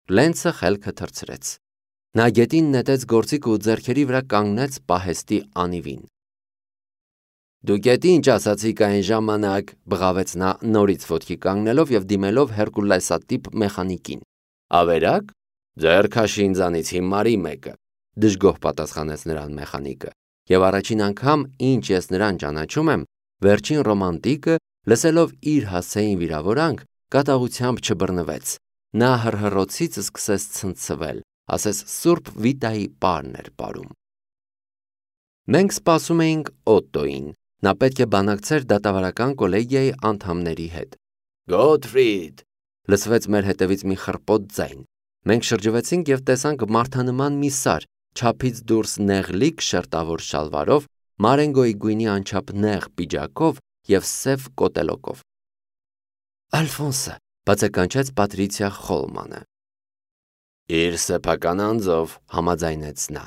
Լենցը խելքը թռցրեց։ Նա գետին նետեց գործիքը ու ձեռքերի վրա կանգնեց պահեստի անիվին։ Դու գետի ինչ ասացիք այն ժամանակ, բղավեց նա նորից ոտքի կանգնելով եւ դիմելով Հերկուլեսատիպ մեխանիկին։ Ավերակ, ձեռք հաշի ինձանից հիմարի մեկը, դժգոհ պատասխանեց նրան մեխանիկը։ Եվ առաջին անգամ, ինչ ես նրան ճանաչում եմ, վերջին ռոմանտիկը, լսելով իր հասցեին վիրավորանք, կատաղությամբ չբռնվեց։ Նա հռհռոցից սկսեց ցնցվել, ասես Սուրբ Վիտայի պարն էր պարում։ Մենք սպասում էինք Օտտոին։ Նա պետք է բանակցեր դատավարական կոլեգիայի անդամների հետ։ Գոթֆրիդ, լսվեց մեր հետևից մի խռպոտ ձայն։ Մենք շրջվեցինք եւ տեսանք մարդանման մի սար, չափից դուրս նեղլիկ շերտավոր շալվարով, մարենգոյի գույնի անչափ նեղ պիջակով եւ սև կոտելոկով։ Ալֆոնսը, բացականչեց Պատրիցիա Խոլմանը։ Իր սեփական անձով, համաձայնեց նա։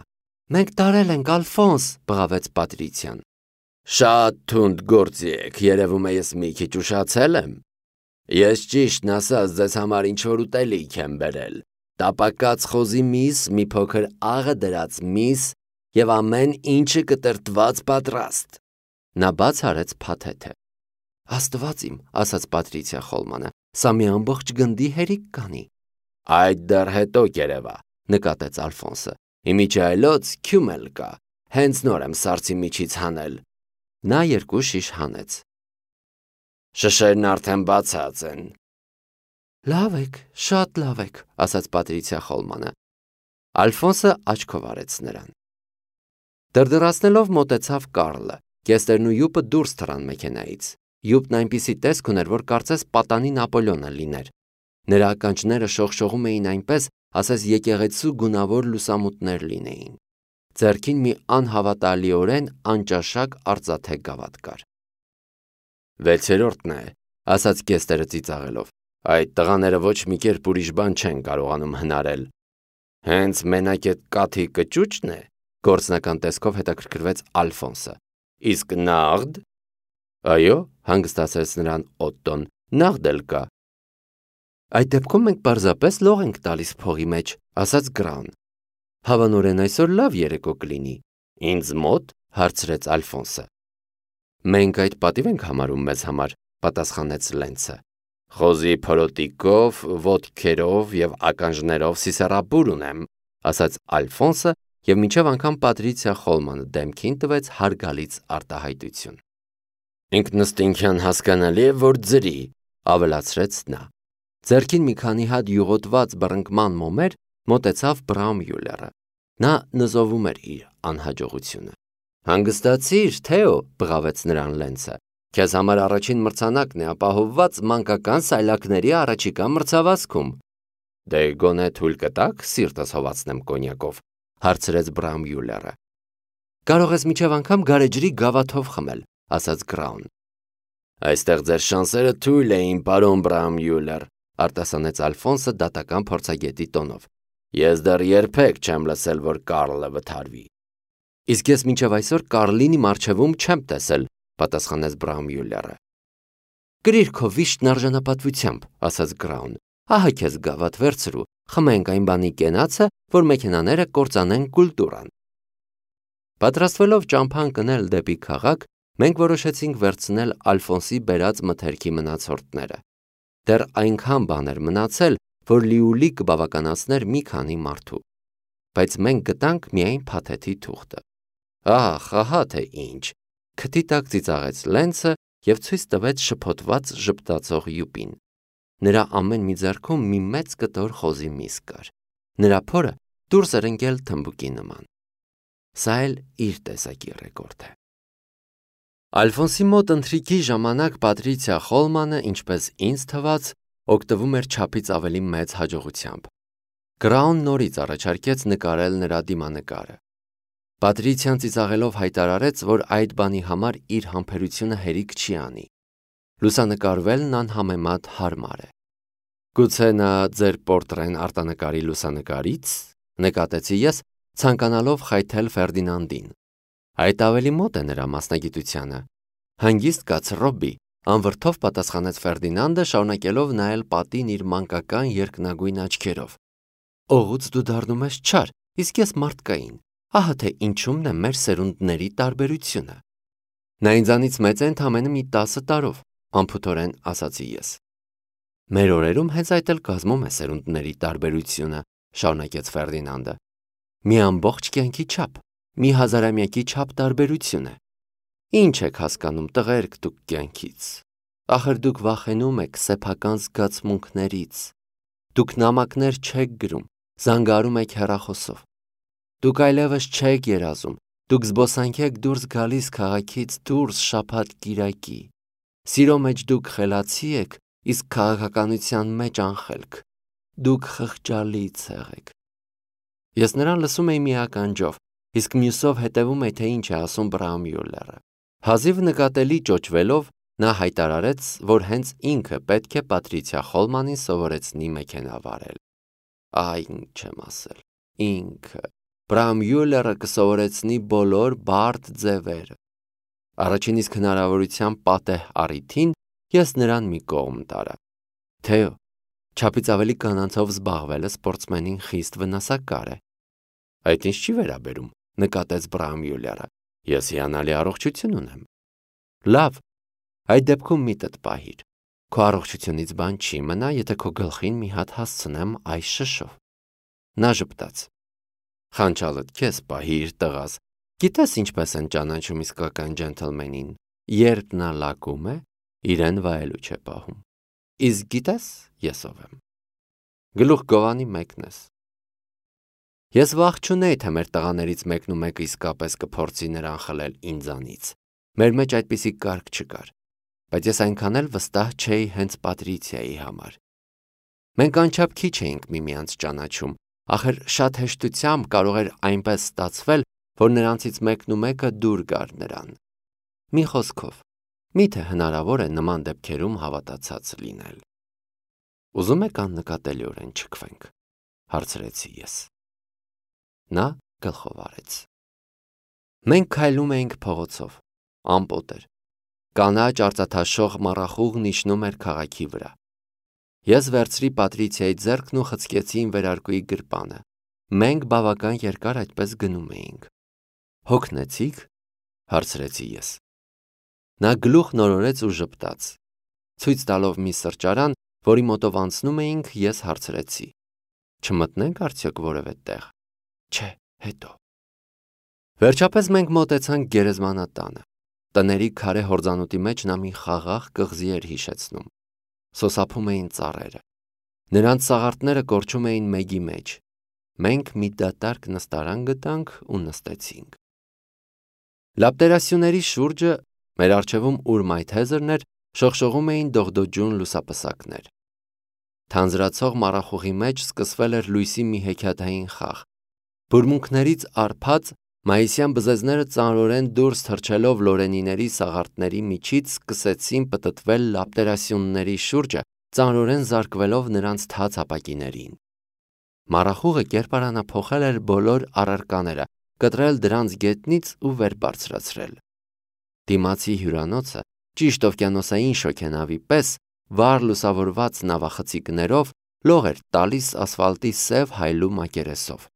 Մենք տարել ենք, Ալֆոնս, բղավեց Պատրիցիան։ Շատ թունդ գործի եք, երևում է ես մի քիչ ուշացել եմ։ Ես ճիշտն ասած ձեզ համար ինչ-որ ուտելիք եմ բերել։ Տապակած խոզի միս, մի փոքր աղը դրած միս եւ ամեն ինչը կտրտված պատրաստ։ Նա բաց արեց փաթեթը։ Աստված իմ, ասաց Պատրիցիա Խոլմանը, սա մի ամբողջ գնդի հերիք կանի։ Այդ դեռ հետո կերևա, նկատեց Ալֆոնսը։ Իմիջայլոց քյումել կա, հենց նոր եմ սարսի միջից հանել։ Նա երկու շիշ հանեց։ Շշերն արդեն բացած են։ Լավ եք, շատ լավ եք, ասաց Պատրիցիա Խոլմանը։ Ալֆոնսը աչքով արեց նրան։ Դրդռացնելով մոտեցավ Կարլը, կեստերն ու յուպը դուրս թռան մեքենայից։ Յուպն այնպիսի տեսք ուներ, որ կարծես պատանի Նապոլեոնը լիներ։ Նրա ականջները շողշողում էին այնպես, ասես եկեղեցու գունավոր լուսամուտներ լինեին։ Ձեռքին մի անհավատալիորեն անճաշակ արծաթե գավաթ կար։ Վեցերորդն է, ասաց կեստերը ծիծաղելով։ Այդ տղաները ոչ մի կերպ ուրիշ բան չեն կարողանում հնարել։ Հենց մենակ այդ կաթի կճուճն է, գործնական տեսքով հետաքրքրվեց Ալֆոնսը։ Իսկ նաղդ։ Այո, հանգստացրեց նրան Օտտոն, նաղդ էլ կա։ Այդ դեպքում մենք պարզապես լող ենք տալիս փողի մեջ, ասաց Գրան։ Հավանորեն այսօր լավ երեկո կլինի։ Ինձ մոտ, հարցրեց Ալֆոնսը։ Մենք այդ պատիվ ենք համարում մեզ համար, պատասխանեց Լենցը։ Խոզի փորոտիկով, ոտքերով եւ ականջներով սիսեռաբուր ունեմ, ասաց Ալֆոնսը եւ մինչեւ անգամ Պատրիցիա Խոլմանը դեմքին տվեց հարգալից արտահայտություն։ Ինքնըստինքյան հասկանալի է, որ ձրի, ավելացրեց նա։ Ձեռքին մի քանի հատ յուղոտված բռնկման մոմեր մոտեցավ Բրաումյուլերը։ Նա նզովում էր իր անհաջողությունը։ Հանգստացիր, Թեո, բղավեց նրան Լենցը։ Քեզ համար առաջին մրցանակն է ապահովված մանկական սայլակների առաջիկա մրցավազքում։ Դե գոնե թույլ կտաք սիրտս հովացնեմ կոնյակով, հարցրեց Բրաումյուլերը։ Կարող ես միջև անգամ գարեջրի գավաթով խմել, ասաց Գրաուն։ Այստեղ ձեր շանսերը թույլ էին, պարոն Բրաումյուլեր, արտասանեց Ալֆոնսը դատական փորձագետի տոնով։ Ես դեռ երբեք չեմ լսել, որ Կարլը վթարվի։ Իսկ ես մինչև այսօր Կարլինի մարչևում չեմ տեսել, պատասխանեց Բրաումյուլերը։ Գրիր քո վիշտն արժանապատվությամբ, ասաց Գրաուն։ Ահա քեզ գավաթ վերցրու, խմենք այն բանի կենացը, որ մեքենաները կործանեն կուլտուրան։ Պատրաստվելով ճամփան կնել դեպի քաղաք, մենք որոշեցինք վերցնել Ալֆոնսի բերած մթերքի մնացորդները։ Դեռ այնքան բան էր մնացել, որ լիուլի կբավականացներ մի քանի մարդու։ Բայց մենք գտանք միայն փաթեթի թուղթը։ Ահ, ահա թե ինչ։ Քթի տակ ծիծաղեց Լենցը եւ ցույց տվեց շփոթված ժպտացող յուպին։ Նրա ամեն մի ձեռքում մի մեծ կտոր խոզի միս կար։ Նրա փորը դուրս էր ընկել թմբուկի նման։ Սա էլ իր տեսակի ռեկորդ է։ Ալֆոնսի մոտ ընթրիքի ժամանակ Պատրիցիա Խոլմանը, ինչպես ինձ թվաց, օգտվում էր չափից ավելի մեծ հաջողությամբ։ Գրաուն նորից առաջարկեց նկարել նրա դիմանկարը։ Պատրիցիան ծիծաղելով հայտարարեց, որ այդ բանի համար իր համբերությունը հերիք չի անի։ Լուսանկարվելն անհամեմատ հարմար է։ Գուցե նա ձեր պորտրեն արտանկարի լուսանկարից, նկատեցի ես, ցանկանալով խայթել Ֆերդինանդին։ Այդ ավելի մոտ է նրա մասնագիտությանը։ Հանգիստ կաց Ռոբբի, անվրդով պատասխանեց Ֆերդինանդը, շարունակելով նայել պատին իր մանկական երկնագույն աչքերով։ Օղուց դու դառնում ես չար, իսկ ես մարդկային։ Ահա թե ինչումն է մեր սերունդների տարբերությունը։ Նա ինձանից մեծ է ընդամենը մի 10 տարով, անփութորեն ասացի ես։ Մեր օրերում հենց այդ էլ կազմում է սերունդների տարբերությունը, շարունակեց Ֆերդինանդը։ Մի ամբողջ կյանքի չափ, մի հազարամյակի չափ տարբերություն է։ Ինչ եք հասկանում տղերք դուք կյանքից։ Ախր դուք վախենում եք սեփական զգացմունքներից։ Դուք նամակներ չեք գրում, զանգարում եք հեռախոսով։ Դուք այլևս չեք երազում, դուք զբոսանք եք դուրս գալիս քաղաքից դուրս շաբաթ կիրակի։ Սիրո մեջ դուք խելացի եք, իսկ քաղաքականության մեջ անխելք։ Դուք խղճալի ցեղ եք։ Ես նրան լսում էի մի ականջով, իսկ մյուսով հետևում էի, թե ինչ է ասում Բրաումյուլլերը։ Հազիվ նկատելի ճոճվելով նա հայտարարեց, որ հենց ինքը պետք է Պատրիցիա Խոլմանին սովորեցնի մեքենա վարել։ Այ ինչ եմ ասել, ինքը Բրաումյուլլերը կսովորեցնի բոլոր բարդ ձևերը։ Առաջին իսկ հնարավորության պատեհ առիթին ես նրան մի կողմ տարա։ Թեո, չափից ավելի կանանցով զբաղվելը սպորտսմենին խիստ վնասակար է։ Այդ ինչ չի վերաբերում, նկատեց Բրաումյուլլերը։ Ես հիանալի առողջություն ունեմ։ Լավ, այդ դեպքում միտդ պահիր։ Քո առողջությունից բան չի մնա, եթե քո գլխին մի հատ հասցնեմ այս շշով։ Նա ժպտաց։ Խանչալդ քեզ պահիր, տղաս։ Գիտես ինչպես են ճանաչում իսկական ջենթլմենին։ Երբ նա լակում է, իրեն վայելու չէ պահում։ Իսկ գիտես ես ով եմ։ Գլուխ գովանի մեկն ես։ Ես վախ չունեի, թե մեր տղաներից մեկն ու մեկը իսկապես կփորձի նրան խլել ինձանից։ Մեր մեջ այդպիսի կարգ չկար, բայց ես այնքան էլ վստահ չէի հենց Պատրիցիայի համար։ Մենք անչափ քիչ էինք միմյանց ճանաչում, ախր շատ հեշտությամբ կարող էր այնպես ստացվել, որ նրանցից մեկն ու մեկը դուր գար նրան։ Մի խոսքով, միթե հնարավոր է նման դեպքերում հավատացած լինել։ Ուզում եք աննկատելիորեն չքվենք, հարցրեցի ես։ Նա գլխով արեց։ Մենք քայլում էինք փողոցով, ամպոտ էր։ Կանաչ արծաթաշող մառախուղն իջնում էր քաղաքի վրա։ Ես վերցրի Պատրիցիայի ձեռքն ու խցկեցի իմ վերարկուի գրպանը։ Մենք բավական երկար այդպես գնում էինք։ Հոգնեցի՞ք, հարցրեցի ես։ Նա գլուխ նորորեց ու ժպտաց։ Ցույց տալով մի սրճարան, որի մոտով անցնում էինք, ես հարցրեցի. Չմտնենք արդյոք որևէ տեղ։ Չէ, հետո։ Վերջապես մենք մոտեցանք գերեզմանատանը։ Տների քարե հորձանուտի մեջ նա մի խաղաղ կղզի էր հիշեցնում։ Սոսափում էին ծառերը։ Նրանց սաղարթները կորչում էին մեգի մեջ։ Մենք մի դատարկ նստարան գտանք ու նստեցինք։ Լապտերասյուների շուրջը մեր առջևում ուր մայթեզրն էր, շողշողում էին դողդոջուն լուսապսակներ։ Թանձրացող մառախուղի մեջ սկսվել էր լույսի մի հեքիաթային խաղ։ Բուրմունքներից արփած մայիսյան բզեզները ծանրորեն դուրս թռչելով լորենիների սաղարթների միջից սկսեցին պտտվել լապտերասյունների շուրջը, ծանրորեն զարկվելով նրանց թաց ապակիներին։ Մառախուղը կերպարանափոխել էր բոլոր առարկաները, կտրել դրանց գետնից ու վեր բարձրացրել։ Դիմացի հյուրանոցը, ճիշտ օվկիանոսային շոգենավի պես, վառ լուսավորված նավախցիկներով լող էր տալիս ասֆալտի սև հայլու մակերեսով։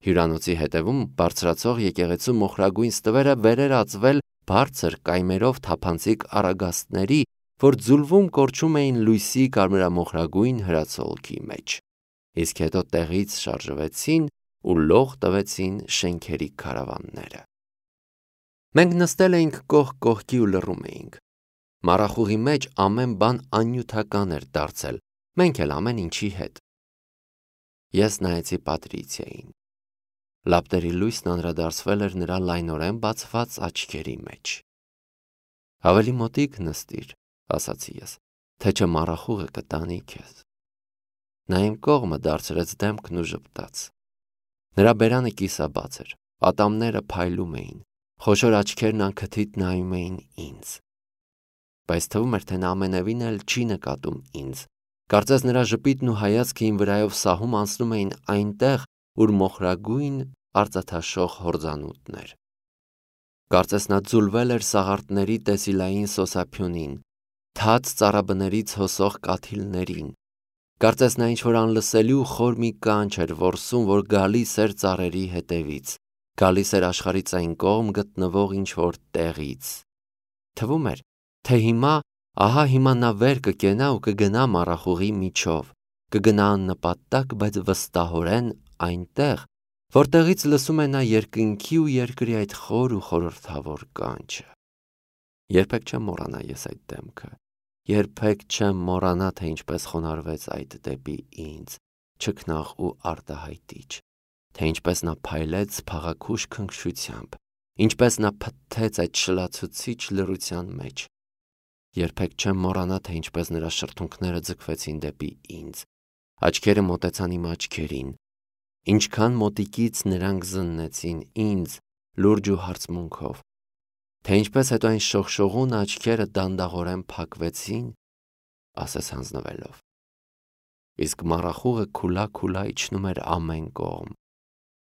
Հյուրանոցի հետևում բարձրացող եկեղեցու մոխրագույն ստվերը վեր էր ածվել բարձր կայմերով թափանցիկ առագաստների, որ ձուլվում կորչում էին լույսի կարմրամոխրագույն հրացոլքի մեջ, իսկ հետո տեղից շարժվեցին ու լող տվեցին շենքերի քարավանները։ Մենք նստել էինք կողք կողքի ու լռում էինք։ Մառախուղի մեջ ամեն բան աննյութական էր դարձել, մենք էլ ամեն ինչի հետ։ Ես նայեցի Պատրիցիային։ Լապտերի լույսն անդրադարձվել էր նրա լայնորեն բացված աչքերի մեջ։ Ավելի մոտիկ նստիր, ասացի ես, թե չէ մառախուղը կտանի քեզ։ Նա իմ կողմը դարձրեց դեմքն ու ժպտաց։ Նրա բերանը կիսաբաց էր, ատամները փայլում էին, խոշոր աչքերն անքթիթ նայում էին ինձ։ Բայց թվում էր, թե նա ամենևին էլ չի նկատում ինձ։ Կարծես նրա ժպիտն ու հայացքը իմ վրայով սահում անցնում էին այնտեղ, ուր մոխրագույն արծաթաշող հորձանուտն էր։ Կարծես նա ձուլվել էր սաղարթների տեսիլային սոսափյունին, թաց ծառաբներից հոսող կաթիլներին, Կարծես նա ինչ-որ անլսելի ու խոր մի կանչ էր որսում, որ գալիս էր ծառերի հետևից, գալիս էր աշխարհից այն կողմ գտնվող ինչ-որ տեղից։ Թվում էր, թե հիմա նա վեր կկենա ու կգնա մառախուղի միջով, կգնա աննպատակ, բայց վստահորեն այնտեղ, որտեղից լսում է նա երկնքի ու երկրի այդ խոր ու խորհրդավոր կանչը։ Երբեք չեմ մոռանա ես այդ դեմքը, երբեք չեմ մոռանա, թե ինչպես խոնարհվեց այդ դեպի ինձ, չքնաղ ու արտահայտիչ, թե ինչպես նա փայլեց փաղաքուշ քնքշությամբ, ինչպես նա փթթեց այդ շլացուցիչ լռության մեջ։ Երբեք չեմ մոռանա, թե ինչպես նրա շրթունքները ձգվեցին դեպի ինձ, աչքերը մոտեցան իմ աչքերին, ինչքան մոտիկից նրանք զննեցին ինձ լուրջ ու հարցմունքով, թե ինչպես հետո այն շողշողուն աչքերը դանդաղորեն փակվեցին, ասես հանձնվելով։ Իսկ մառախուղը քուլա իջնում էր ամեն կողմ։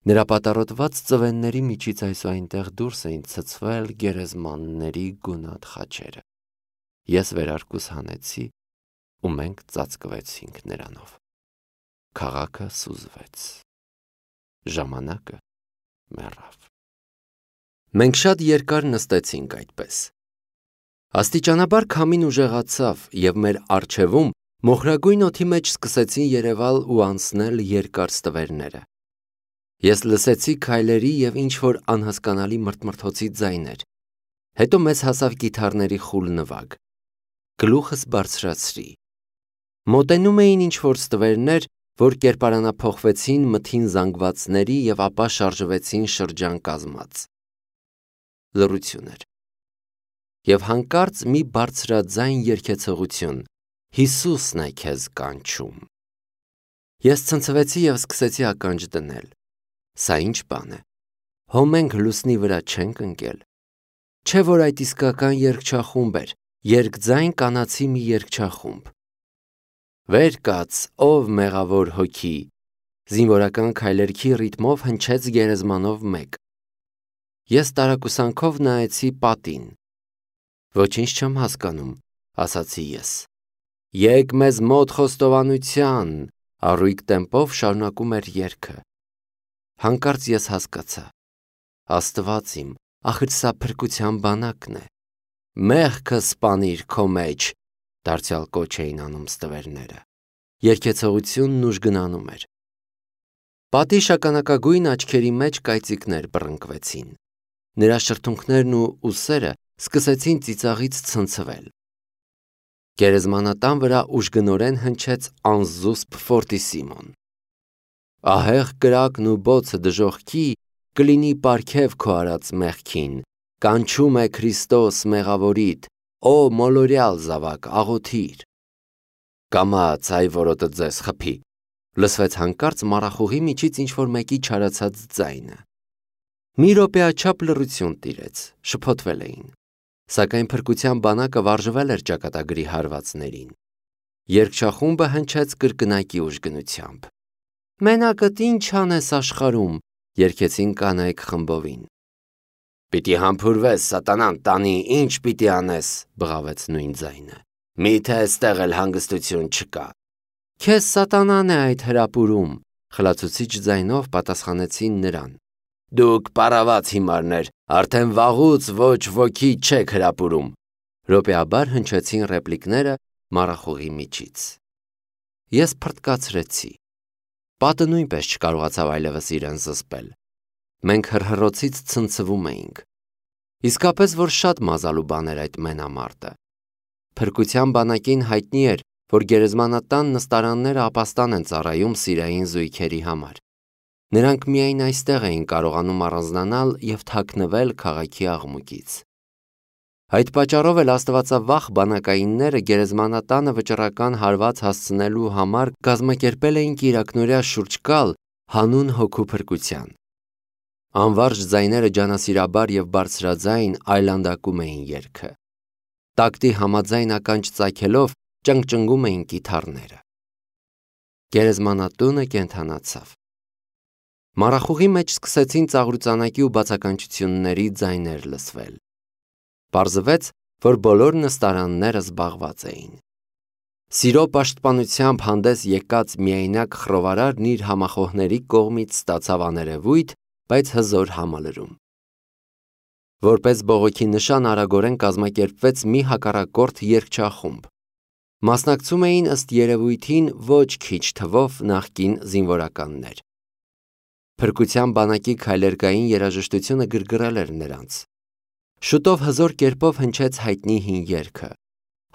Նրա պատառոտված ծվենների միջից այսուայնտեղ դուրս էին ցցվել գերեզմանների գունատ խաչերը։ Ես վերարկուս հանեցի ու մենք ծածկվեցինք նրանով։ Քաղաքը սուզվեց։ Ժամանակը մեռավ։ Մենք շատ երկար նստեցինք այդպես։ Աստիճանաբար քամին ուժեղացավ և մեր առջևում մոխրագույն օդի մեջ սկսեցին երևալ ու անցնել երկար ստվերները։ Ես լսեցի քայլերի և ինչ-որ անհասկանալի մրթմրթոցի ձայներ, հետո մեզ հասավ կիթառների խուլ նվագ։ Գլուխս բարձրացրի։ Մոտենում էին ինչ-որ ստվերներ, որ կերպարանափոխվեցին մթին զանգվածների և ապա շարժվեցին շրջան կազմած։ Լռություն էր։ Եվ հանկարծ մի բարձրաձայն երգեցողություն. «Հիսուսն է քեզ կանչում»։ Ես ցնցվեցի և սկսեցի ականջ դնել։ Սա ինչ բան է։ Հո մենք լուսնի վրա չենք ընկել։ Չէ՞ որ այդ իսկական երգչախումբ էր, երկձայն կանացի մի երգչախումբ։ Վեր կաց, ով մեղավոր հոգի, զինվորական քայլերքի ռիթմով հնչեց գերեզմանով մեկ։ Ես տարակուսանքով նայեցի պատին։ Ոչինչ չեմ հասկանում, ասացի ես։ Եկ մեզ մոտ խոստովանության, առույգ տեմպով շարունակում էր երգը։ Հանկարծ ես հասկացա։ Աստված իմ, ախր սա փրկության բանակն է։ Մեղքը սպանիր քո մեջ, դարձյալ կոչ էին անում ստվերները։ Երգեցողությունն ուժգնանում էր։ Պատի շագանակագույն աչքերի մեջ կայծիկներ բռնկվեցին։ Նրա շրթունքներն ու ուսերը սկսեցին ծիծաղից ցնցվել։ Գերեզմանատան վրա ուժգնորեն հնչեց անզուսպ ֆորտիսիմոն։ Ահեղ կրակն ու բոցը դժոխքի կլինի պարգև քո արած մեղքին, կանչում է Քրիստոս մեղավորիդ, ո մոլորյալ զավակ աղոթիր։ Կամաց այ որոտը ձեզ խփի, լսվեց հանկարծ մառախուղի միջից ինչ-որ մեկի չարացած ձայնը։ Մի րոպեաչափ լռություն տիրեց, շփոթվել էին, սակայն փրկության բանակը վարժվել էր ճակատագրի հարվածներին։ Երգչախումբը հնչեց կրկնակի ուժգնությամբ։ Մենակդ ինչ անես աշխարհում, երգեցին կանայք խմբովին։ Պիտի համբուրվես, սատանան տանի, ինչ պիտի անես, բղավեց նույն ձայնը։ Միթե այստեղ էլ հանգստություն չկա։ Քեզ սատանան է այդ հրապուրում, խլացուցիչ ձայնով պատասխանեցին նրան։ Դուք պարաված հիմարներ, արդեն վաղուց ոչ ոքի չեք հրապուրում։ Րոպեաբար հնչեցին ռեպլիկները մառախուղի միջից։ Ես փռթկացրեցի։ Պատը նույնպես չկարողացավ այլևս իրեն զսպել։ Մենք հռհռոցից ցնցվում էինք։ Իսկապես որ շատ մազալու բան էր այդ մենամարտը։ Փրկության բանակին հայտնի էր, որ գերեզմանատան նստարանները ապաստան են ծառայում սիրային զույգերի համար։ Նրանք միայն այստեղ էին կարողանում առանձնանալ և թաքնվել քաղաքի աղմուկից։ Այդ պատճառով էլ աստվածավախ բանակայինները գերեզմանատանը վճռական հարված հասցնելու համար կազմակերպել էին կիրակնօրյա շուրջ գալ հանուն հոգու փրկության։ Անվարժ ձայները ջանասիրաբար և բարձրաձայն այլանդակում էին երգը։ Տակտի համաձայն ականջ ծագելով ճնգճնգում էին կիթառները։ Գերեզմանատունը կենդանացավ։ Մառախուղի մեջ սկսեցին ծաղրուծանակի ու բացականչությունների ձայներ լսվել։ Պարզվեց, որ բոլոր նստարանները զբաղված էին։ Սիրո պաշտպանությամբ հանդես եկած միայնակ խռովարարն իր համախոհների կողմից ստացավ աներևույթ, բայց հզոր համալրում։ Որպես բողոքի նշան արագորեն կազմակերպվեց մի հակառակորդ երգչախումբ։ Մասնակցում էին ըստ երևույթին ոչ քիչ թվով նախկին զինվորականներ։ Փրկության բանակի քայլերգային երաժշտությունը գրգռել էր նրանց։ Շուտով հզոր կերպով հնչեց հայտնի հին երգը.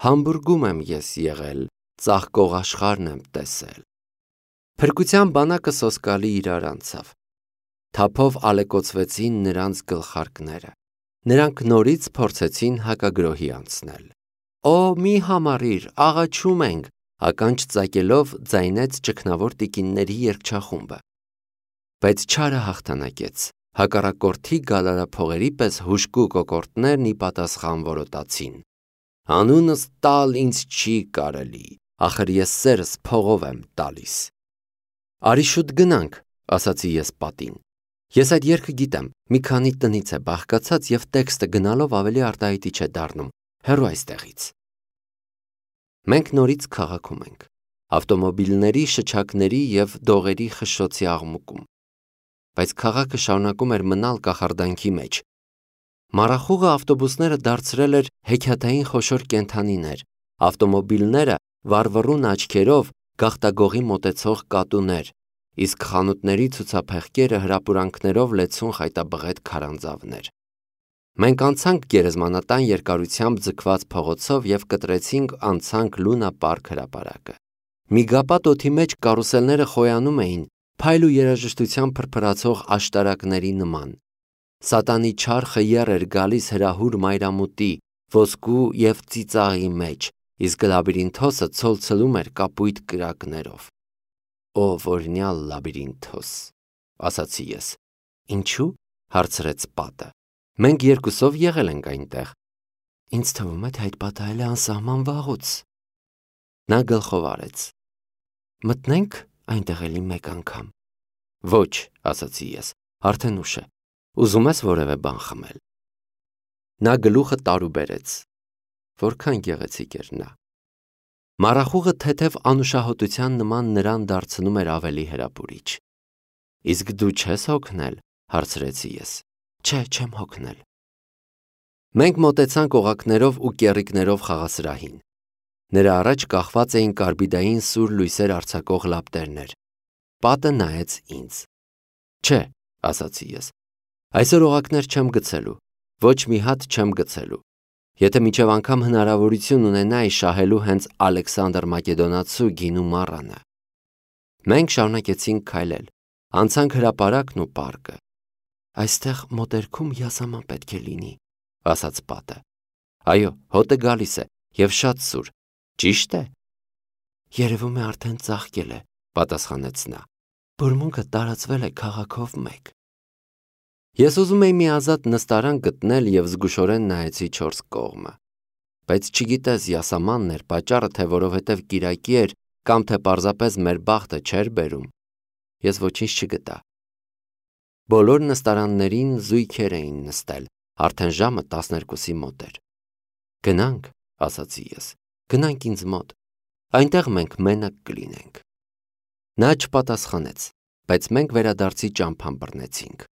«Համբուրգում եմ ես եղել, ծաղկող աշխարհն եմ տեսել»։ Փրկության բանակը սոսկալի իրար անցավ։ Թափով ալեկոծվեցին նրանց գլխարկները։ Նրանք նորից փորձեցին հակագրոհի անցնել։ «Օ, մի համառիր, աղաչում ենք», ականջ ծակելով ձայնեց ճգնավոր տիկինների երգչախումբը։ Բայց չարը հաղթանակեց։ Հակառակորդի գալարափողերի պես հուժկու կոկորդներն ի պատասխան որոտացին. «Անունս տալ ինձ չի կարելի, ախր ես սերս փողով եմ տալիս»։ «Արի շուտ գնանք», ասացի ես պատին։ Ես այդ երգը գիտեմ, մի քանի տնից է բաղկացած և տեքստը գնալով ավելի արտահայտիչ է դառնում, հեռու այստեղից։ Մենք նորից քաղաքում ենք, ավտոմոբիլների, շչակների և դողերի խշշոցի աղմուկում։ Բայց քաղաքը շարունակում էր մնալ կախարդանքի մեջ։ Մառախուղը ավտոբուսները դարձրել էր հեքիաթային խոշոր կենդանիներ, ավտոմոբիլները վառվռուն աչքերով գաղտագողի մոտեցող կատուներ, իսկ խանութների ցուցափեղկերը հրապուրանքներով լեցուն խայտաբղետ քարանձավներ։ Մենք անցանք գերեզմանատան երկարությամբ ձգված փողոցով և կտրեցինք անցանք Լունա պարկ հրապարակը։ Միգապատ օդի մեջ կարուսելները խոյանում էին, փայլ ու երաժշտությամբ փրփրացող աշտարակների նման։ Սատանի չար խյեր էր գալիս հրահուր մայրամուտի, ոսկու և ծիծաղի մեջ, իսկ լաբիրինթոսը ցոլցլում էր կապույտ կրակներով։ «Ո որնյալ լաբիրինթոս», ասացի ես։ «Ինչու՞, հարցրեց պատը։ «Մենք երկուսով եղել ենք այնտեղ»։ «Ինձ թվում է, թե այդ պատահել է անսահման վաղուց»։ Նա գլխով արեց։ «Մտնե՞նք այնտեղ էլի մեկ անգամ»։ «Ոչ», ասացի ես, արդեն ուշ է։ Ուզում ես որևէ բան խմել։ Նա գլուխը տարուբերեց։ Որքան գեղեցիկ էր նա։ Մառախուղը թեթև անուշահոտության նման նրան դարձնում էր ավելի հրապուրիչ։ «Իսկ դու չես հոգնել», հարցրեցի ես։ «Չէ, չեմ հոգնել»։ Մենք մոտեցանք օղակներով ու կեռիկներով խաղասրահին։ Նրա առաջ կախված էին կարբիդային սուր լույսեր արձակող լապտերներ։ Պատը նայեց ինձ։ «Չէ», ասացի ես, «այսօր օղակներ չեմ գցելու, ոչ մի հատ չեմ գցելու։ Եթե մինչև անգամ հնարավորություն ունենայի շահելու հենց Ալեքսանդր Մակեդոնացու գինու մառանը»։ Մենք շարունակեցինք քայլել, անցանք հրապարակն ու պարկը։ «Այստեղ մոտերքում յասաման պետք է լինի», ասաց պատը։ «Այո, հոտը գալիս է և շատ սուր, ճիշտ է»։ «Երևում է արդեն ծաղկել է», պատասխանեց նա։ «Բուրմունքը տարածվել է քաղաքով մեկ»։ Ես ուզում էի մի ազատ նստարան գտնել և զգուշորեն նայեցի չորս կողմը։ Բայց չգիտես յասամանն էր պատճառը, թե որովհետև կիրակի էր կամ թե պարզապես մեր բախտը չէր բերում։ Ես ոչինչ չգտա։ Բոլոր նստարաններին զույգեր էին նստել, արդեն ժամը 12-ի մոտ էր։ «Գնանք», ասացի ես, «գնանք ինձ մոտ, այնտեղ մենք մենակ կլինենք»։ Նա չպատասխանեց, բայց մենք վերադարձի ճամփան բռնեցինք։